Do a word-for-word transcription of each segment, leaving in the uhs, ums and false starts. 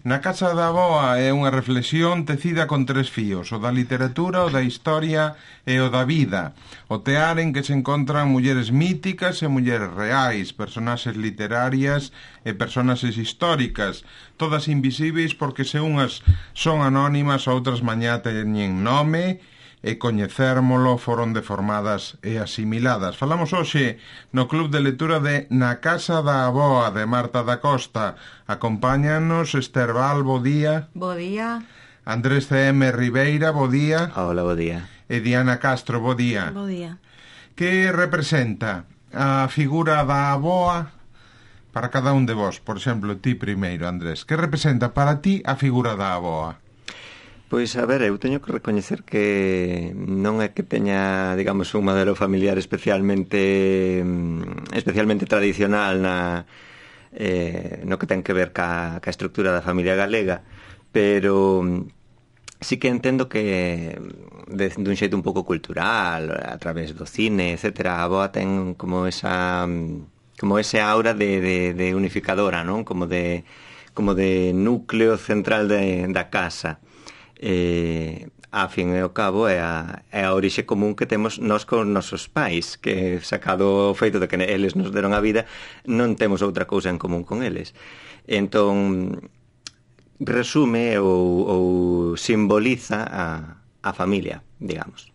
Na casa da avoa é unha reflexión tecida con tres fíos, o da literatura, o da historia e o da vida. O tear en que se encontran mulleres míticas e mulleres reais, personaxes literarias e personaxes históricas, todas invisíveis porque se unhas son anónimas, outras mañá teñen nome e coñecérmolo foron deformadas e asimiladas. Falamos hoxe no Club de Lectura de Na Casa da Avoa, de Marta da Costa. Acompáñanos Esther Val, bo día. Bo día. Andrés C M Ribeira, bo día. Hola, bo día. E Diana Castro, bo día. Bo día. Que representa a figura da avoa para cada un de vos? Por exemplo, ti primeiro, Andrés. Que representa para ti a figura da avoa? Pois, a ver, eu teño que recoñecer que non é que teña, digamos, un modelo familiar especialmente especialmente tradicional na, eh, no que ten que ver ca, ca estructura da familia galega, pero sí que entendo que de, dun xeito un pouco cultural, a través do cine, etcétera, a avoa ten como esa como ese aura de, de, de unificadora, non? Como de, como de núcleo central de, da casa. Eh, a fin e ao cabo é a, é a orixe común que temos nós con nosos pais, que sacado o feito de que eles nos deron a vida, non temos outra cousa en común con eles. Entón resume ou, ou simboliza a, a familia, digamos.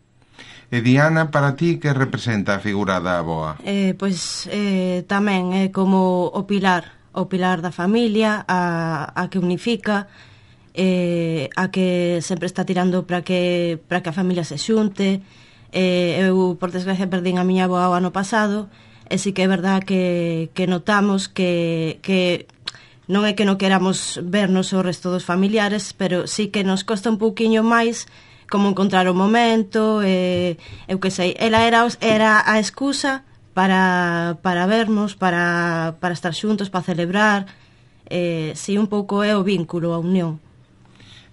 E Diana, para ti, que representa a figura da avoa? Eh, pois eh, tamén é como o pilar, o pilar da familia, a, a que unifica, eh, a que sempre está tirando para que para que a familia se xunte. Eh, eu, por desgracia, perdín a miña avoa o ano pasado, e si que é verdad que, que notamos que, que non é que non queramos vernos o resto dos familiares, pero sí que nos costa un pouquiño máis como encontrar o momento, eh, eu que sei, ela era, era a excusa para, para vernos, para, para estar xuntos, para celebrar, eh, si un pouco é o vínculo, a unión.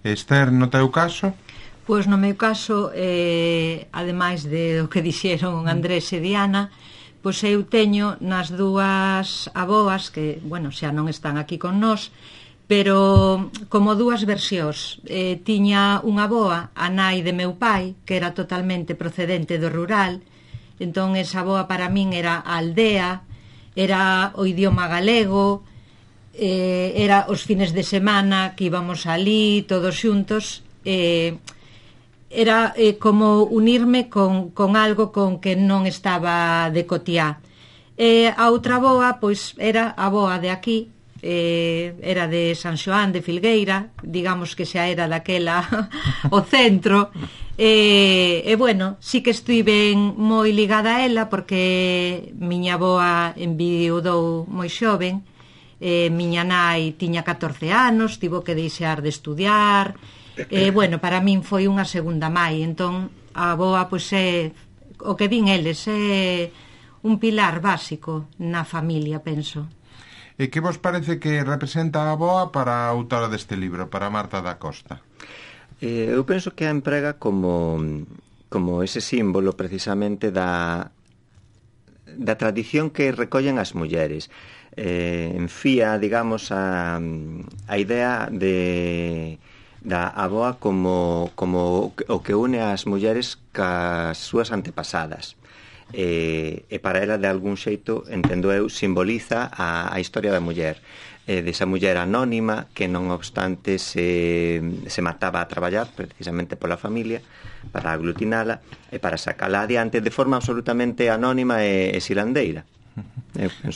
Esther, no teu caso? Pois no meu caso, eh, ademais de o que dixeron Andrés e Diana, pois eu teño nas dúas avoas, que, bueno, xa non están aquí con nós, pero como dúas versións. Eh, tiña unha avoa, a nai de meu pai, que era totalmente procedente do rural, entón esa avoa para min era a aldea, era o idioma galego, eh, era os fines de semana que íbamos alí todos xuntos, eh, era eh, como unirme con, con algo con que non estaba de cotiá. Eh, a outra avoa, pois, era a avoa de aquí, eh, era de San Xoán de Filgueira, digamos que xa era daquela o centro, e, e bueno, sí que estiven moi ligada a ela porque miña avoa enviudou moi xoven, eh, miña nai tiña catorce anos, tivo que deixar de estudiar, e bueno, para min foi unha segunda mai, entón a avoa pois é o que din eles, é un pilar básico na familia, penso. E que vos parece que representa a avoa para a autora deste libro, para Marta da Costa? Eh, eu penso que a emprega como, como ese símbolo precisamente da, da tradición que recollen as mulleres. Eh, enfía, digamos, a, a idea de da avoa como, como o que une as mulleres cas súas antepasadas. E, e para ela, de algún xeito, entendo eu, simboliza a, a historia da muller, eh, desa muller anónima que non obstante se, se mataba a traballar precisamente pola familia para aglutinala e para sacala adiante de forma absolutamente anónima e, e silandeira.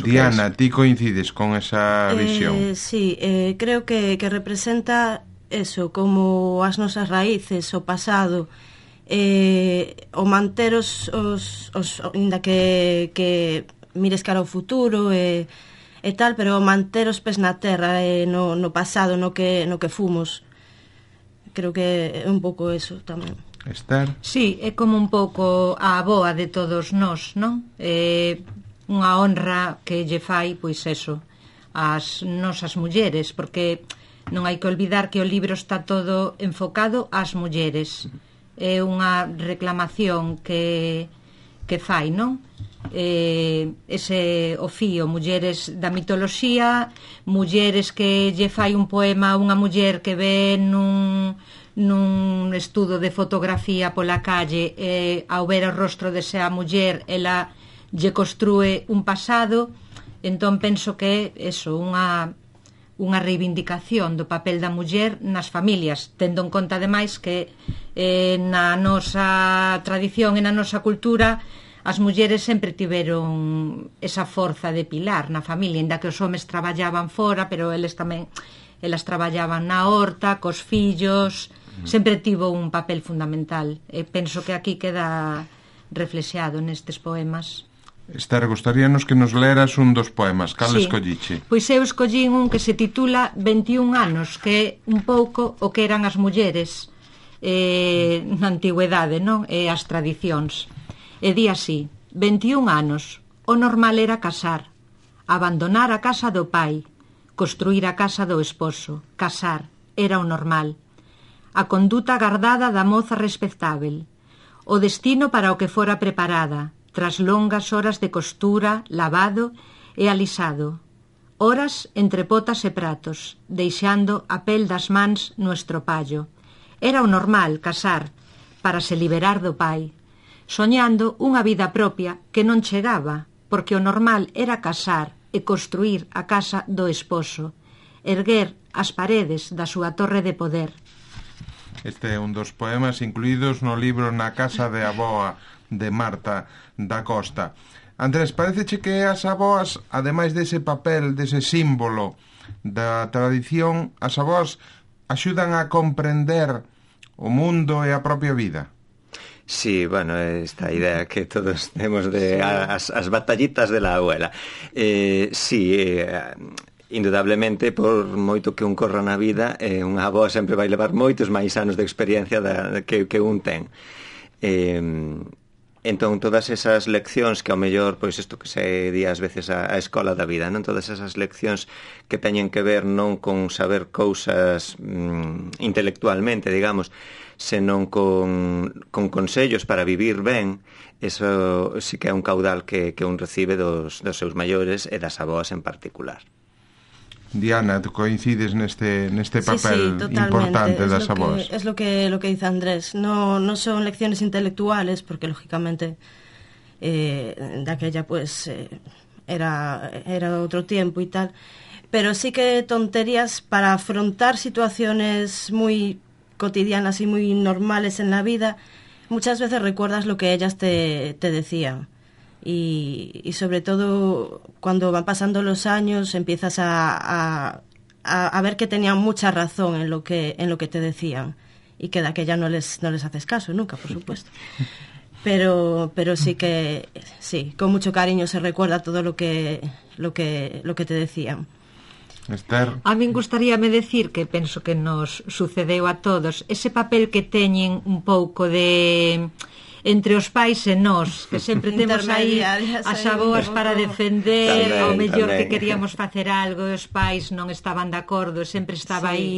Diana, ti coincides con esa visión? Eh, sí, eh, creo que, que representa eso, como as nosas raíces, o pasado, eh, o manter os, os, os inda que, que mires cara ao futuro e, e tal, pero manter os pés na terra, eh, no, no pasado, no que, no que fomos. Creo que é un pouco eso tamén. Esther? Sí, é como un pouco a avoa de todos nós, non? Eh, unha honra que lle fai, pois eso, as nosas mulleres, porque non hai que olvidar que o libro está todo enfocado ás mulleres. É unha reclamación que, que fai, non? eh, ese ofío, mulleres da mitoloxía, mulleres que lle fai un poema a unha muller que ve nun, nun estudo de fotografía pola calle, eh, ao ver o rostro desa muller ela lle construe un pasado. Entón penso que é eso, unha unha reivindicación do papel da muller nas familias, tendo en conta ademais que eh, na nosa tradición e na nosa cultura as mulleres sempre tiveron esa forza de pilar na familia, inda que os homes traballaban fora, pero eles tamén elas traballaban na horta, cos fillos, sempre tivo un papel fundamental. E penso que aquí queda reflexeado nestes poemas. Esther, gustaríanos que nos leras un dos poemas. Cal sí. escolliche? Pois eu escollín un que se titula veintiún anos, que é un pouco o que eran as mulleres eh, na antigüedade, non? E as tradicións. E di así: veintiún anos, o normal era casar, abandonar a casa do pai, construir a casa do esposo, casar, era o normal. A conduta gardada da moza respectável, o destino para o que fora preparada, tras longas horas de costura, lavado e alisado, horas entre potas e pratos, deixando a pel das mans no estropallo. Era o normal casar, para se liberar do pai, soñando unha vida propia que non chegaba, porque o normal era casar e construir a casa do esposo, erguer as paredes da súa torre de poder. Este é un dos poemas incluídos no libro Na casa de Aboa, de Marta da Costa. Andrés, pareceche que as aboas, ademais dese papel, dese símbolo da tradición, as aboas axudan a comprender o mundo e a propia vida? Sí, bueno, esta idea que todos temos de as, as batallitas de la abuela. Eh, sí, eh, indudablemente, por moito que un corra na vida, eh, unha avoa sempre vai levar moitos máis anos de experiencia da, que, que un ten. Eh, entón, todas esas leccións que ao mellor, pois isto que se di ás veces a, a escola da vida, non? Todas esas leccións que teñen que ver non con saber cousas mm, intelectualmente, digamos, senón con, con consellos para vivir ben, eso sí que é un caudal que, que un recibe dos, dos seus maiores e das aboas en particular. Diana, tú coincides neste, neste papel sí, sí, importante das aboas? Es lo que, lo que dice Andrés. No, no son lecciones intelectuales, porque lógicamente eh, de aquella pues eh, era, era otro tiempo y tal, pero sí que tonterías para afrontar situaciones muy cotidianas y muy normales en la vida. Muchas veces recuerdas lo que ellas te, te decían. Y, y sobre todo cuando van pasando los años empiezas a, a, a, a ver que tenían mucha razón en lo que, en lo que te decían y que de aquella no les, no les haces caso nunca, por supuesto. Pero, pero sí que sí, con mucho cariño se recuerda todo lo que, lo que, lo que te decían. Esther. A min gustaríame decir que penso que nos sucedeu a todos ese papel que teñen un pouco de entre os pais e nós, que sempre temos aí as aboas para defender, tamén, ao mellor tamén. Que queríamos facer algo e os pais non estaban de acordo, sempre estaba sí. aí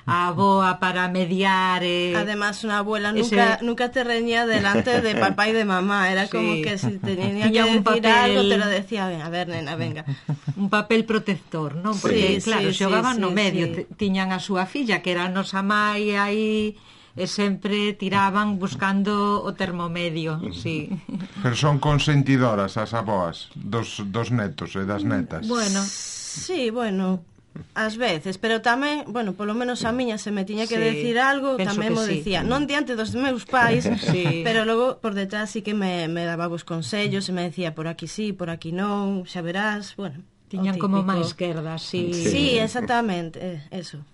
a aboa para mediar. Eh, Además, una abuela nunca, ese... nunca te reñía delante de papá y de mamá. Era sí. como que si tenía que decir papel... algo, te lo decía, a ver, nena, venga. Un papel protector, non? Porque, sí, claro, sí, xogaban sí, no medio. Sí. Tiñan a súa filla, que era a nosa mai, aí... e sempre tiraban buscando o termomedio, sí. Pero son consentidoras as aboas dos, dos netos e das netas. Bueno, sí, bueno, ás veces, pero tamén, bueno, polo menos a miña se me tiña que sí, decir algo, tamén mo sí. decía, non diante dos meus pais, sí. pero logo por detrás sí que me, me daba vos consellos e me decía por aquí sí, por aquí non, xa verás, bueno. Tiñan como máis esquerda, sí. Sí, sí exactamente, eh, eso.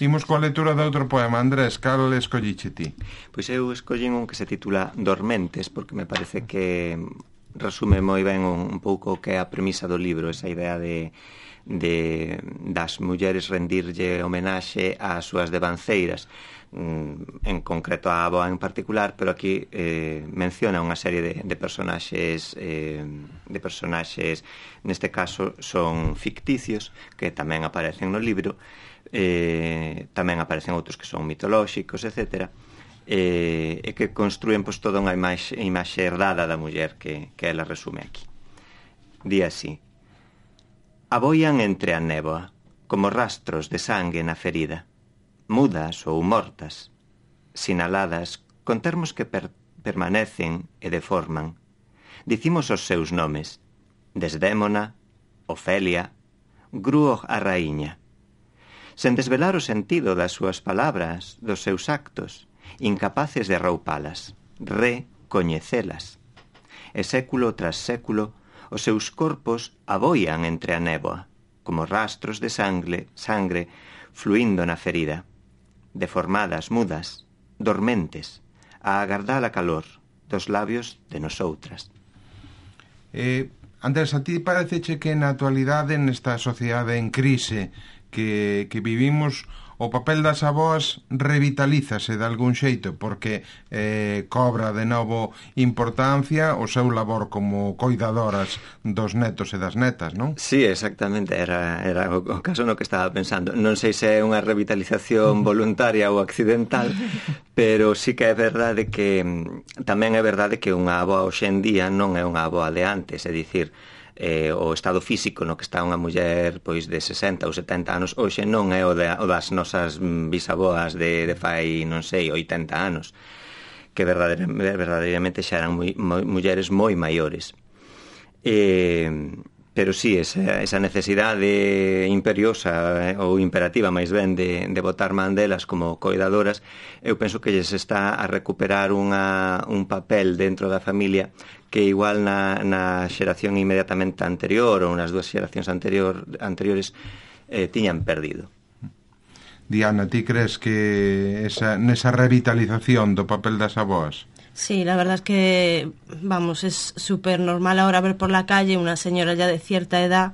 Imos coa lectura de outro poema. Andrés, cal escolliche ti? Pois eu escollín un que se titula Dormentes, porque me parece que resume moi ben un, un pouco o que é a premisa do libro, esa idea de, de das mulleres rendirlle homenaxe ás súas devanceiras, en concreto a avoa en particular, pero aquí eh, menciona unha serie de, de personaxes eh, de personaxes, neste caso son ficticios, que tamén aparecen no libro. Eh, tamén aparecen outros que son mitolóxicos, etcétera. e, e que construen pois, toda unha imaxe, imaxe herdada da muller que, que ela resume aquí. Di así: aboian entre a néboa, como rastros de sangue na ferida, mudas ou mortas, sinaladas con termos que per permanecen e deforman. Dicimos os seus nomes: Desdémona, Ofelia, Gruo a raíña, sen desvelar o sentido das súas palabras, dos seus actos, incapaces de arroupalas, recoñecelas. E século tras século, os seus corpos aboian entre a néboa, como rastros de sangre, sangre fluindo na ferida, deformadas, mudas, dormentes, a agardar a calor dos labios de nosoutras. Eh, Andrés, a ti pareceche que na actualidade, nesta sociedade en crise que, que vivimos, o papel das avoas revitalízase de algún xeito porque eh, cobra de novo importancia o seu labor como coidadoras dos netos e das netas, non? Sí, exactamente, era, era o, o caso no que estaba pensando. Non sei se é unha revitalización voluntaria ou accidental, pero sí que é verdade que tamén é verdade que unha avoa hoxe en día non é unha avoa de antes, é dicir, eh, o estado físico no que está unha muller pois de sesenta ou setenta anos hoxe non é o, de, o das nosas bisaboas de, de fai, non sei, oitenta anos, que verdadeiramente, verdadeiramente xa eran moi, moi, mulleres moi maiores. Eh, pero sí, esa, esa necesidade imperiosa eh, ou imperativa máis ben de, de botar man delas como coidadoras, eu penso que lles está a recuperar unha, un papel dentro da familia que igual na, na xeración inmediatamente anterior ou nas dúas xeracións anterior, anteriores eh, tiñan perdido. Diana, ti crees que esa, nesa revitalización do papel das avoas? Sí, la verdad es que, vamos, es súper normal ahora ver por la calle una señora ya de cierta edad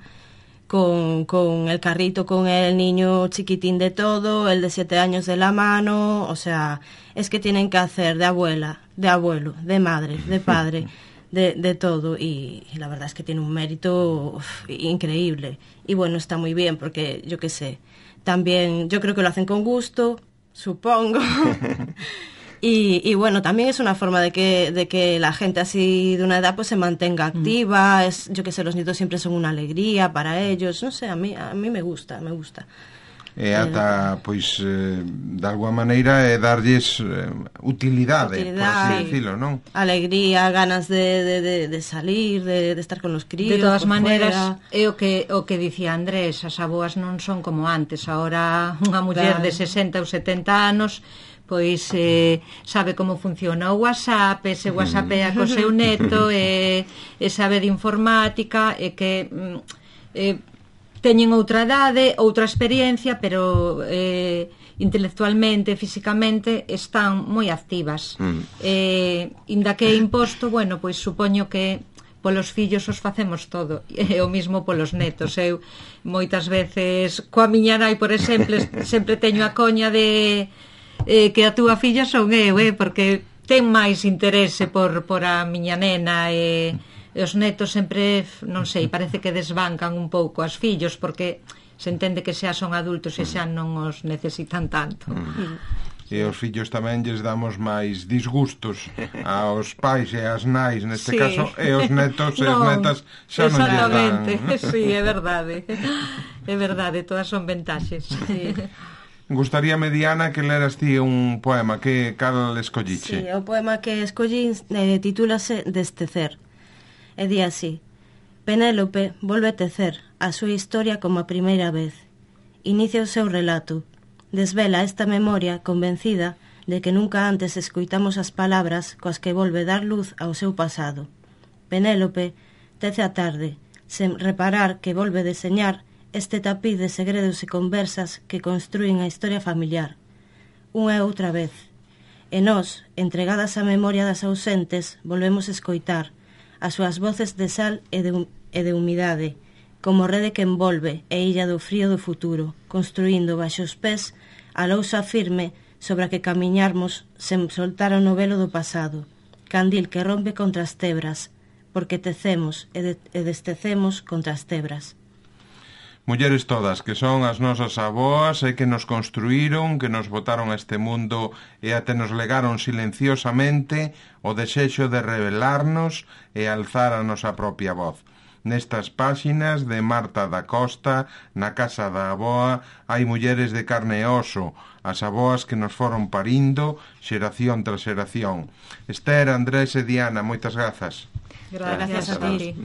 con, con el carrito, con el niño chiquitín de todo, el de siete años de la mano, o sea, es que tienen que hacer de abuela, de abuelo, de madre, de padre, de, de todo, y, y la verdad es que tiene un mérito uf, increíble. Y bueno, está muy bien porque, yo qué sé, también yo creo que lo hacen con gusto, supongo. Y, y bueno, también es una forma de que, de que la gente así de una edad pues se mantenga activa, mm. es, yo que sé, los nietos siempre son una alegría para ellos, no sé, a mí, a mí me gusta, me gusta. E ata, pois, eh, de alguma maneira é darlles eh, utilidade, utilidade, por así sí. decirlo, non? Alegría, ganas de, de, de, de salir, de, de estar con os críos. De todas maneras, fuera. É o que, o que dicía Andrés, as aboas non son como antes, ahora unha muller claro. de sesenta ou setenta anos pois eh, sabe como funciona o WhatsApp, e se WhatsAppea co seu neto, e, e sabe de informática, e que eh, teñen outra idade, outra experiencia, pero eh, intelectualmente, físicamente están moi activas. Mm. Eh, inda que é imposto, bueno, pois supoño que polos fillos os facemos todo, e o mismo polos netos. Eu moitas veces coa miña nai, por exemplo, sempre teño a coña de eh, que a túa filla son eu, eh, porque ten máis interese por, por a miña nena, e, e os netos sempre, non sei, parece que desbancan un pouco as fillos, porque se entende que xa son adultos e xa non os necesitan tanto. Mm. E os fillos tamén lles damos máis disgustos aos pais e ás nais neste sí. caso, e os netos e as netas xa non lles dan. Exactamente, sí, é verdade. É verdade, todas son ventaxes. Sí. Gustaríame, Diana, que leras ti un poema. Que cal escolliche? Sí, o poema que escollín eh, titúlase Destecer. E di así: Penélope volve a tecer a súa historia como a primeira vez. Inicia o seu relato. Desvela esta memoria convencida de que nunca antes escoitamos as palabras coas que volve dar luz ao seu pasado. Penélope tece a tarde, sen reparar que volve deseñar este tapiz de segredos e conversas que construen a historia familiar, unha e outra vez. E nós, entregadas á memoria das ausentes, volvemos escoitar as súas voces de sal e de, e de humidade, como rede que envolve e illa do frío do futuro, construindo baixo os pés a lousa firme sobre a que camiñarmos sen soltar o novelo do pasado, candil que rompe contra as tebras, porque tecemos e, de, e destecemos contra as tebras. Mulleres todas, que son as nosas aboas e que nos construíron, que nos botaron a este mundo e até nos legaron silenciosamente o desexo de revelarnos e alzar a nosa propia voz. Nestas páxinas de Marta da Costa, na casa da aboa, hai mulleres de carne e oso, as aboas que nos foron parindo xeración tras xeración. Esther, Andrés e Diana, moitas grazas. Gracias a ti.